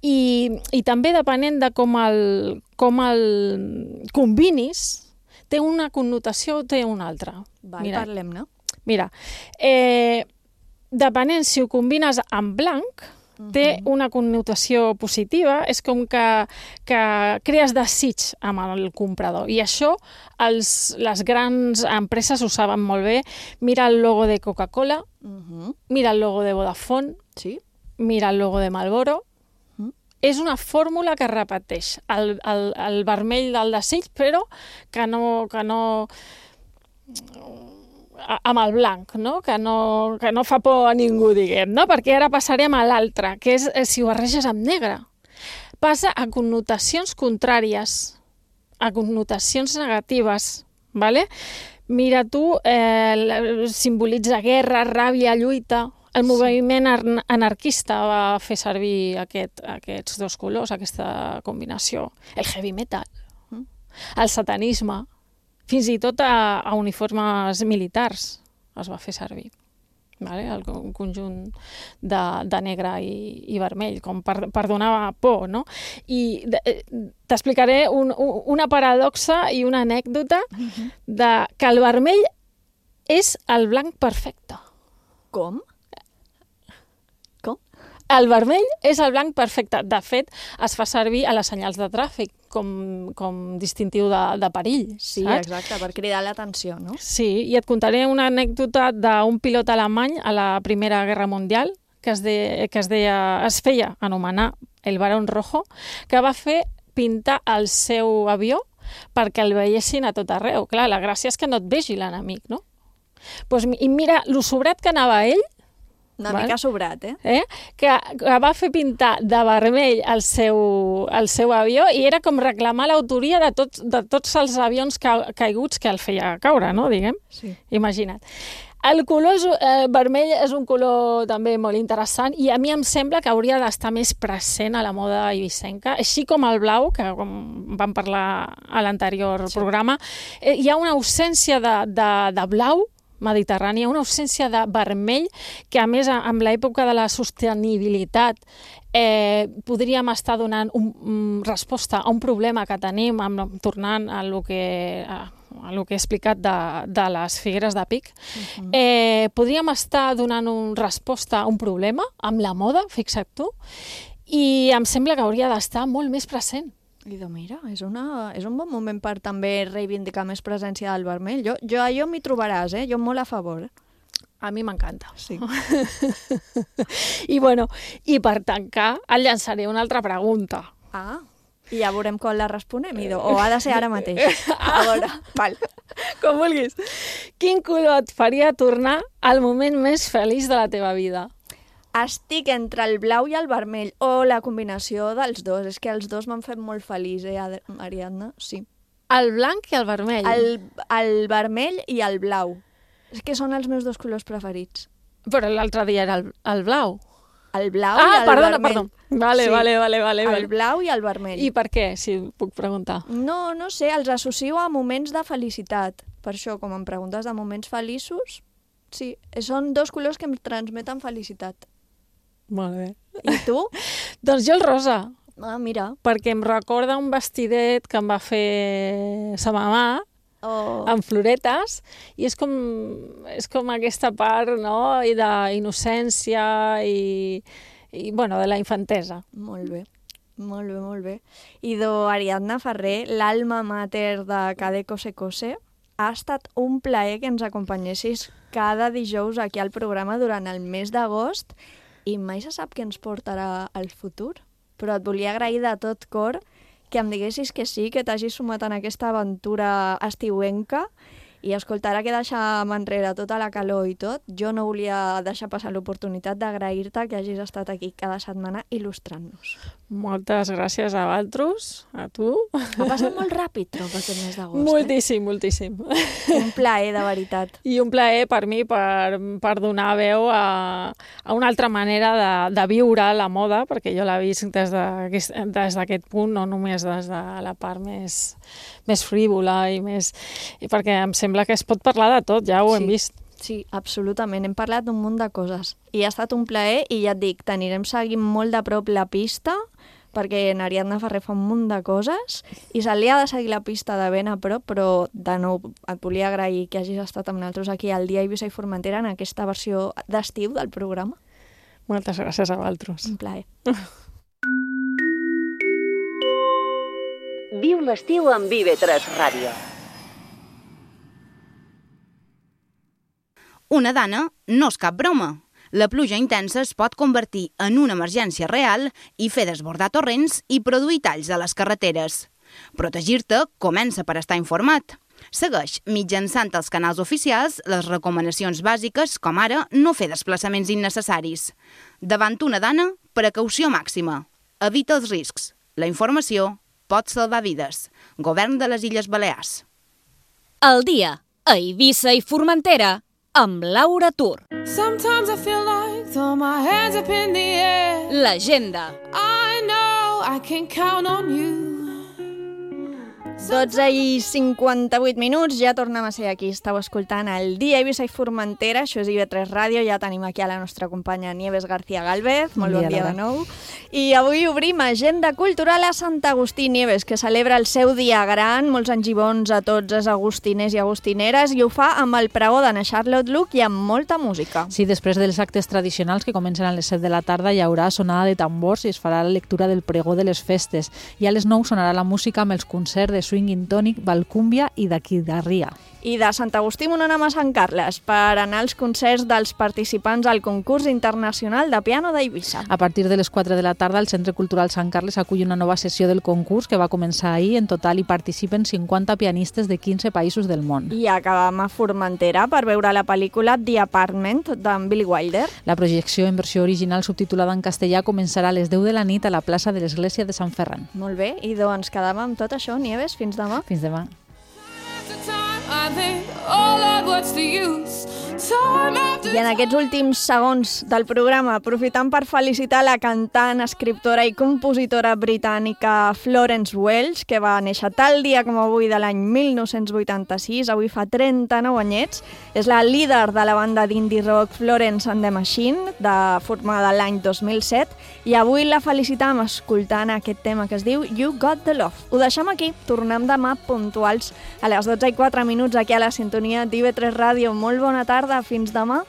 I també depenent de com el combinis, té una connotació o té una altra. Parlem-ne. Mira, depenent si ho combines amb blanc, té una connotació positiva, és com que crees desig amb el comprador. I això les grans empreses ho saben molt bé. Mira el logo de Coca-Cola, mira el logo de Vodafone, mira el logo de Marlboro. És una fórmula que repeteix el vermell del desig, però que no amb el blanc, no? Que no fa por a ningú, diguem, no? Perquè ara passarem a l'altre, que és si ho barreges amb negre. Passa a connotacions contràries, a connotacions negatives, ¿vale? Mira tu, simbolitza guerra, ràbia, lluita. El moviment anarquista va fer servir aquests dos colors, aquesta combinació. El heavy metal, el satanisme, fins i tot a uniformes militars es va fer servir. Un conjunt de negre i vermell, com per donar por, no? I t'explicaré una paradoxa i una anècdota que el vermell és el blanc perfecte. Com? El vermell és el blanc perfecte. De fet, es fa servir a les senyals de tràfic com distintiu de perill. Sí, saps? exacte, per cridar l'atenció, no? Sí, i et contaré una anècdota d'un pilot alemany a la Primera Guerra Mundial que es feia anomenar el Barón Rojo, que va fer pintar el seu avió perquè el veiessin a tot arreu. Clar, la gràcia és que no et vegi l'enemic, no? Pues, i mira, lo sobrat que anava ell, Una mica sobrat, eh? Que va fer pintar de vermell el seu avió i era com reclamar l'autoria de tots els avions caiguts que el feia caure, no? Diguem. Sí. Imagina't. El color vermell és un color també molt interessant i a mi em sembla que hauria d'estar més present a la moda eivissenca, així com el blau, que com vam parlar a l'anterior programa. Hi ha una ausència de blau mediterrània, una ausència de vermell que, a més, amb l'època de la sostenibilitat podríem estar donant resposta a un problema que tenim, tornant a lo que he explicat de les figueres de pic. Podríem estar donant resposta a un problema amb la moda, fixa't tu, i em sembla que hauria d'estar molt més present. I de mira, és un bon moment per també reivindicar més presència del vermell. Jo m'hi trobaràs, jo molt a favor. A mi m'encanta. Sí. I per tancar, et llançaré una altra pregunta. Ah, i ja veurem quan la responem, o ha de ser ara mateix? A veure, val. Com vulguis. Quin color et faria tornar al moment més feliç de la teva vida? Estic entre el blau i el vermell, o la combinació dels dos. És que els dos m'han fet molt feliç, Ariadna? Sí. El blanc i el vermell? El vermell i el blau. És que són els meus dos colors preferits. Però l'altre dia era el blau. El blau i el vermell. Perdó. Vale. El blau i el vermell. I per què, si puc preguntar? No sé, els associo a moments de felicitat. Per això, com em preguntes de moments feliços, sí, són dos colors que em transmeten felicitat. Molt bé. I tu? Doncs jo el rosa. Ah, mira. Perquè em recorda un vestidet que em va fer sa mamà, amb floretes, i és com aquesta part, no?, i d'innocència i de la infantesa. Molt bé. Molt bé. I Ariadna Ferrer, l'alma mater de Cadeco Se Cose, ha estat un plaer que ens acompanyessis cada dijous aquí al programa durant el mes d'agost i mai se sap què ens portarà al futur. Però et volia agrair de tot cor que em diguessis que sí, que t'hagis sumat en aquesta aventura estiuenca i escolta, ara que deixàvem enrere tota la calor i tot, jo no volia deixar passar l'oportunitat d'agrair-te que hagis estat aquí cada setmana il·lustrant-nos. Moltes gràcies a vosaltres, a tu. Ha passat molt ràpid, trobo, aquest mes d'agost. Moltíssim. Un plaer, de veritat. I un plaer per mi per donar veu a una altra manera de viure la moda, perquè jo la visc des d'aquest punt, no només des de la part més frívola i perquè em sembla que es pot parlar de tot, ja ho hem vist. Sí, absolutament. Hem parlat d'un munt de coses. I ha estat un plaer i ja et dic, t'anirem seguint molt de prop la pista perquè en Ariadna Ferrer fa un munt de coses i se li ha de seguir la pista de ben a prop, però de nou et volia agrair que hagis estat amb nosaltres aquí al Dia Eivissa i Formentera en aquesta versió d'estiu del programa. Moltes gràcies a vosaltres. Un plaer. Viu l'estiu amb IB3 Ràdio. Una dana no és cap broma. La pluja intensa es pot convertir en una emergència real i fer desbordar torrents i produir talls a les carreteres. Protegir-te comença per estar informat. Segueix, mitjançant els canals oficials, les recomanacions bàsiques, com ara no fer desplaçaments innecessaris. Davant una dana, precaució màxima. Evita els riscs. La informació pot salvar vides. Govern de les Illes Balears. El dia a Eivissa i Formentera amb Laura Tur. Sometimes I feel like throw my hands up in the air. L'agenda. I know I can count on you. 12:58, ja tornem a ser aquí. Estàu escoltant el Dia Eivissa i Formentera, això és IB3 Ràdio, ja tenim aquí a la nostra companya Nieves García Gálvez, molt bon dia de nou. I avui obrim Agenda Cultural a Sant Agustí. Nieves, que celebra el seu dia gran, molts anys i bons a tots els agustiners i agustineres, i ho fa amb el pregó d'Anna Charlotte Luch i amb molta música. Sí, després dels actes tradicionals que comencen a les 7 de la tarda hi haurà sonada de tambors i es farà la lectura del pregó de les festes. I a les 9 sonarà la música amb els concerts de Swinging Tonic, Valcúmbia i d'Aquidarria. I de Sant Agustí on anem a Sant Carles per anar als concerts dels participants al concurs internacional de piano d'Eivissa. A partir de les 4 de la tarda el Centre Cultural Sant Carles acull una nova sessió del concurs que va començar ahir. En total hi participen 50 pianistes de 15 països del món. I acabam a Formentera per veure la pel·lícula The Apartment d'en Billy Wilder. La projecció en versió original subtitulada en castellà començarà a les 10 de la nit a la plaça de l'Església de Sant Ferran. Molt bé, i doncs quedam amb tot això, Nieves, fins demà. Fins demà. I en aquests últims segons del programa, aprofitant per felicitar la cantant, escriptora i compositora britànica Florence Welch, que va néixer tal dia com avui de l'any 1986, avui fa 39 anyets, és la líder de la banda d'indie rock Florence and the Machine, formada l'any 2007, i avui la felicitam escoltant aquest tema que es diu You Got the Love. Ho deixem aquí, tornem demà puntuals a les 12:04 aquí a la sintonia d'IB3 Ràdio. Molt bona tarda, fins demà.